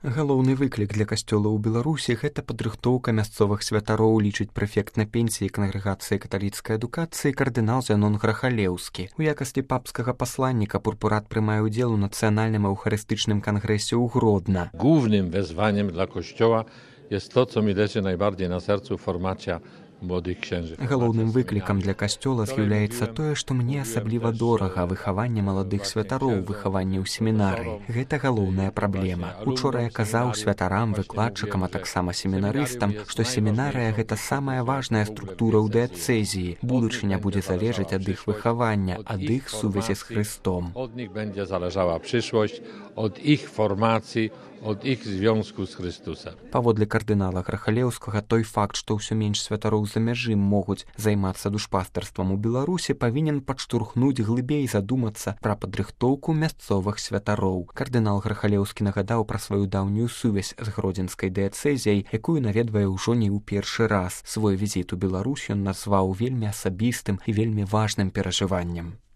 Галоўны выклік для касцёла ў Беларусі гэта падрыхтоўка мясцовых святароў, лічыць прэфект на пенсіі кангрэгацыі каталіцкай адукацыі кардынал Зянон Грахалеўскі. У якасці папскага пасланніка пурпурат прымае ўдзел у нацыянальным эўхарыстычным кангрэсе ў Гродна. Głównym wezwaniem dla Kościoła jest to, co mi leży najbardziej na sercu, formacja młodych księży. Галоўным выклікам для касцёла з'яўляецца тое, што мне асабліва дорага выхаванне маладых святароў, выхаванне ў семінарыі. Гэта галоўная праблема. Учора я казаў святарам, выкладчыкам, а таксама семінарыстам, што семінарыя гэта самая важная структура ў дыяцэзіі. Будучыня будзе залежаць ад іх выхавання, ад іх сувязі з Хрыстом. Od nich będzie zależała przyszłość, od ich formacji, od ich związku z Chrystusem. Паводле кардынала Грахалеўскага, той факт, што ўсё менш святароў за мяжы могуць займацца душпастарствам у Беларусі, павінен падштурхнуць глыбей задумацца пра падрыхтоўку мясцовых святароў. Кардынал Грахалеўскі нагадаў пра сваю даўнюю сувязь з гродзенскай дыяцэзіяй, якую наведвае ўжо не ў першы раз. Свой візіт у Беларусь ён назваў вельмі асабістым і вельмі важным перажываннем.